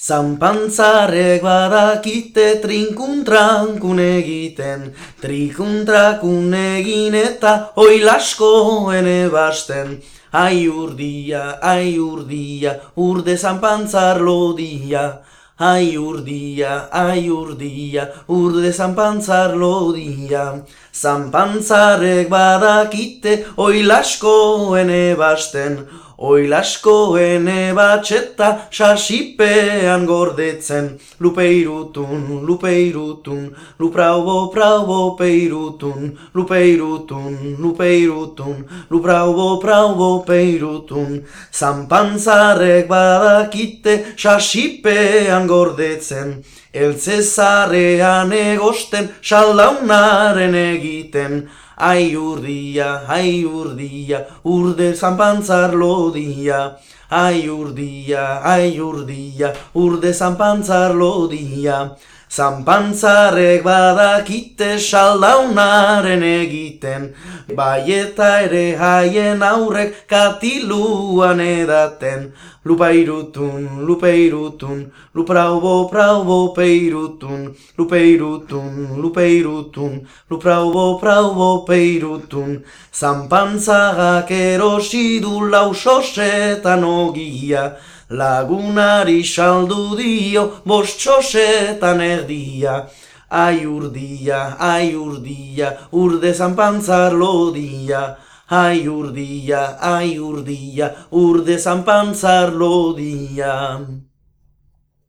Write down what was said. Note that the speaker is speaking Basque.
Zanpantzarek badakite trinkuntrankun egiten, trikuntrakun egin eta oilaskoen ebasten. Ai urdia, urde zanpantzar lodia. Ai urdia, urde zanpantzar lodia. Zanpantzarek badakite oilaskoen ebasten, oilaskoen ebatxeta sasipean gordetzen. Lupeirutun, lupraubo peirutun, lupraubo peirutun. Zanpantzarek badakite sasipean gordetzen, eltzezarean egosten saldaunaren egiten. Ai urdia, urde zanpantzar lodia. Ai urdia, urde zanpantzar lodia. Zanpantzarek badakite saldaunaren egiten, bai eta ere haien aurrek katiluan edaten. Lupairutun, lupraubo peirutun, lupraubo peirutun. Zanpantzagak erosi du lausosetan ogia, lagunari saldu dio 5 txosetan erdia. Ai urdia, urde zanpantzar lodia. Ai urdia, urde zanpantzar lodia.